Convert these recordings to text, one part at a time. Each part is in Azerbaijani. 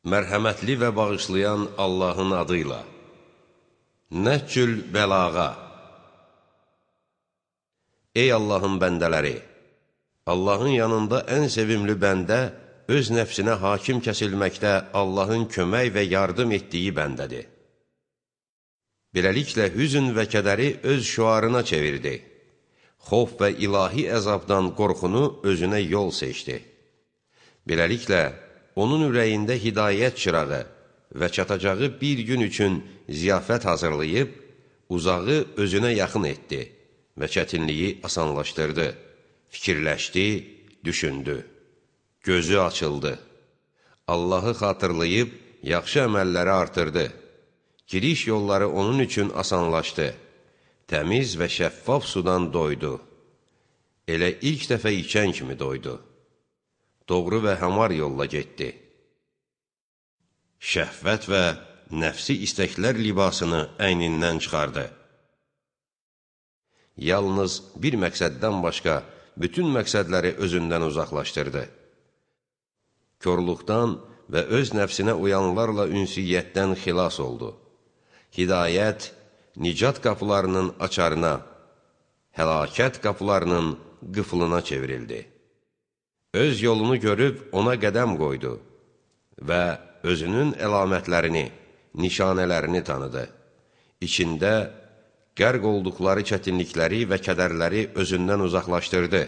Mərhəmətli və bağışlayan Allahın adıyla. Nəhcül bəlağa. Ey Allahın bəndələri! Allahın yanında ən sevimli bəndə, öz nəfsinə hakim kəsilməkdə Allahın kömək və yardım etdiyi bəndədir. Beləliklə, hüzün və kədəri öz şüarına çevirdi. Xof və ilahi əzabdan qorxunu özünə yol seçdi. Beləliklə, onun ürəyində hidayət çırağı və çatacağı bir gün üçün ziyafət hazırlayıb, uzağı özünə yaxın etdi və çətinliyi asanlaşdırdı, fikirləşdi, düşündü, gözü açıldı, Allahı xatırlayıb, yaxşı əməlləri artırdı, giriş yolları onun üçün asanlaşdı, təmiz və şəffaf sudan doydu, elə ilk dəfə içən kimi doydu. Doğru və həmar yolla getdi. Şəhvət və nəfsi istəklər libasını əynindən çıxardı. Yalnız bir məqsəddən başqa bütün məqsədləri özündən uzaqlaşdırdı. Körluqdan və öz nəfsinə uyanlarla ünsiyyətdən xilas oldu. Hidayət, nicat qapılarının açarına, həlakət qapılarının qıfılına çevrildi. Öz yolunu görüb ona qədəm qoydu və özünün əlamətlərini, nişanələrini tanıdı. İçində qərq olduqları çətinlikləri və kədərləri özündən uzaqlaşdırdı.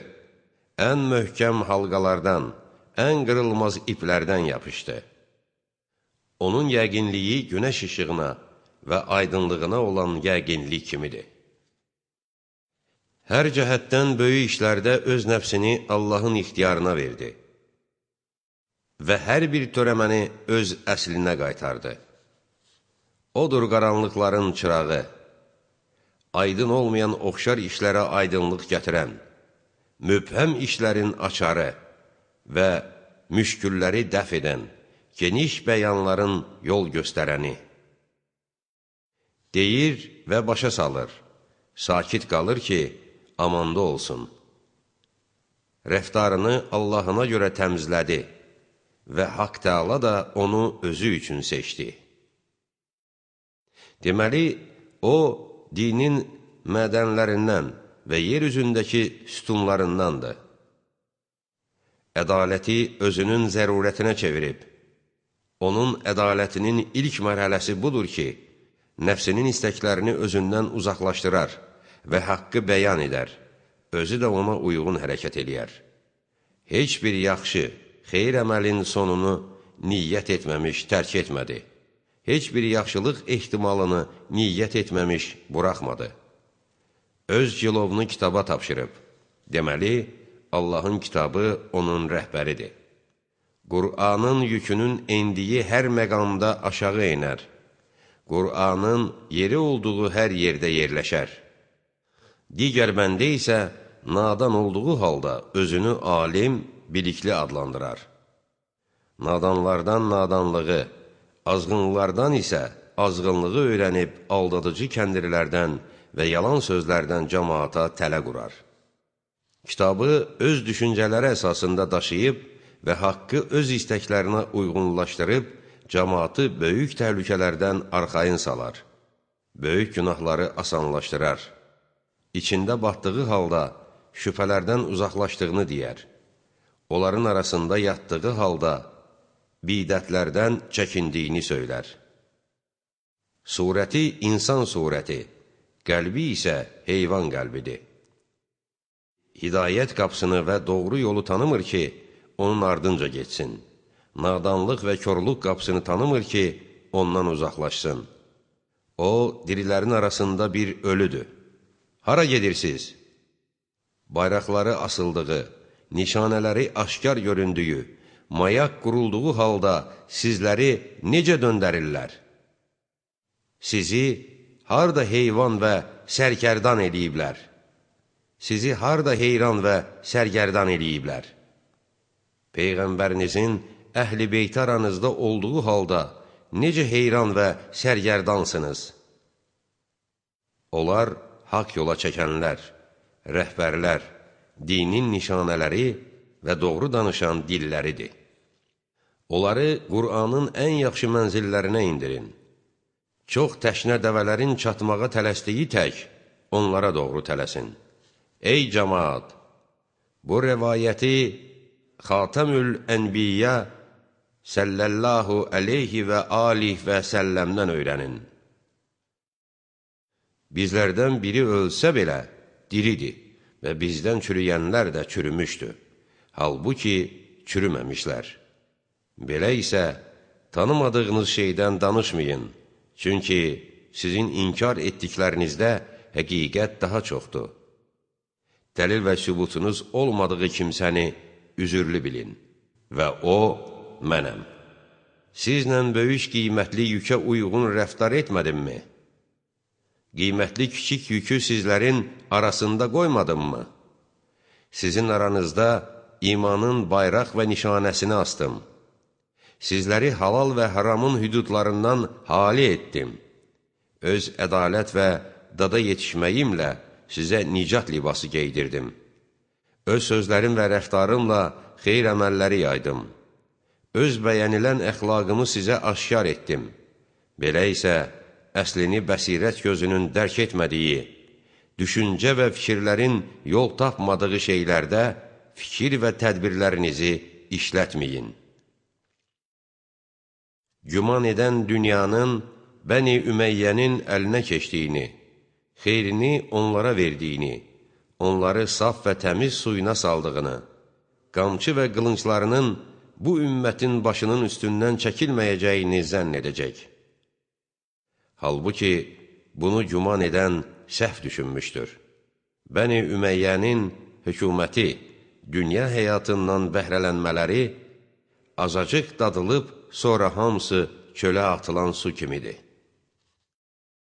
Ən möhkəm halqalardan, ən qırılmaz iplərdən yapışdı. Onun yəqinliyi günəş işığına və aydınlığına olan yəqinlik kimidir. Hər cəhətdən böyük işlərdə öz nəfsini Allahın ixtiyarına verdi və hər bir törəməni öz əslinə qaytardı. Odur qaranlıqların çırağı, aydın olmayan oxşar işlərə aydınlıq gətirən, mübhəm işlərin açarı və müşkülləri dəf edən, geniş bəyanların yol göstərəni. Deyir və başa salır, sakit qalır ki, amanda olsun. Rəftarını Allahına görə təmizlədi və Haqq Təala da onu özü üçün seçdi. Deməli, o, dinin mədənlərindən və yer üzündəki sütunlarındandır. Ədaləti özünün zərurətinə çevirib. Onun ədalətinin ilk mərhələsi budur ki, nəfsinin istəklərini özündən uzaqlaşdırar və haqqı bəyan edər, özü də ona uyğun hərəkət eləyər. Heç bir yaxşı, xeyir əməlin sonunu niyyət etməmiş, tərk etmədi. Heç bir yaxşılıq ehtimalını niyyət etməmiş, buraxmadı. Öz cilovunu kitaba tapşırıb. Deməli, Allahın kitabı onun rəhbəridir. Qur'anın yükünün endiyi hər məqamda aşağı enər. Qur'anın yeri olduğu hər yerdə yerləşər. Digər bəndə isə nadan olduğu halda özünü alim, bilikli adlandırar. Nadanlardan nadanlığı, azğınlardan isə azğınlığı öyrənib aldadıcı kəndirlərdən və yalan sözlərdən cəmaata tələ qurar. Kitabı öz düşüncələri əsasında daşıyıb və haqqı öz istəklərinə uyğunlaşdırıb, cəmaatı böyük təhlükələrdən arxayın salar, böyük günahları asanlaşdırar. İçində batdığı halda şübhələrdən uzaqlaşdığını deyər. Onların arasında yatdığı halda bidətlərdən çəkindiyini söylər. Surəti insan surəti, qəlbi isə heyvan qəlbidir. Hidayət qapısını və doğru yolu tanımır ki, onun ardınca getsin. Nadanlıq və körlük qapısını tanımır ki, ondan uzaqlaşsın. O, dirilərin arasında bir ölüdür. Hara gedirsiniz? Bayraqları asıldığı, nişanələri aşkar göründüyü, mayak qurulduğu halda sizləri necə döndərirlər? Sizi harda heyvan və sərkərdan eləyiblər? Sizi harda heyran və sərgərdan eləyiblər? Peyğəmbərinizin əhl-i beyt aranızda olduğu halda necə heyran və sərgərdansınız? Onlar haqq yola çəkənlər, rəhbərlər, dinin nişanələri və doğru danışan dilləridir. Onları Qur'anın ən yaxşı mənzillərinə indirin. Çox təşnə dəvələrin çatmağa tələsdiyi tək onlara doğru tələsin. Ey cəmaat! Bu rəvayəti Xatamül Ənbiyyə səllallahu əleyhi və alih və səlləmdən öyrənin. Bizlərdən biri ölsə belə diridir və bizdən çürüyənlər də çürümüşdür. Halbuki çürüməmişlər. Belə isə tanımadığınız şeydən danışmayın. Çünki sizin inkar etdiklərinizdə həqiqət daha çoxdur. Dəlil və sübutunuz olmadığı kimsəni üzürlü bilin. Və o, mənəm. Sizlə böyük qiymətli yükə uyğun rəftar etmədimmi? Qiymətli kiçik yükü sizlərin arasında qoymadımmı? Sizin aranızda imanın bayraq və nişanəsini astım. Sizləri halal və haramın hüdudlarından hali etdim. Öz ədalət və dada yetişməyimlə sizə nicat libası geydirdim. Öz sözlərim və rəftarımla xeyr əməlləri yaydım. Öz bəyənilən əxlaqımı sizə aşkar etdim. Belə isə əslini bəsirət gözünün dərk etmədiyi, düşüncə və fikirlərin yol tapmadığı şeylərdə fikir və tədbirlərinizi işlətməyin. Güman edən dünyanın Bəni Üməyyənin əlinə keçdiyini, xeyrini onlara verdiyini, onları saf və təmiz suyuna saldığını, qamçı və qılınclarının bu ümmətin başının üstündən çəkilməyəcəyini zənn edəcək. Halbuki bunu güman edən səhv düşünmüşdür. Bəni Üməyyənin hökuməti, dünya həyatından bəhrələnmələri azacıq dadılıb, sonra hamısı çölə atılan su kimidir.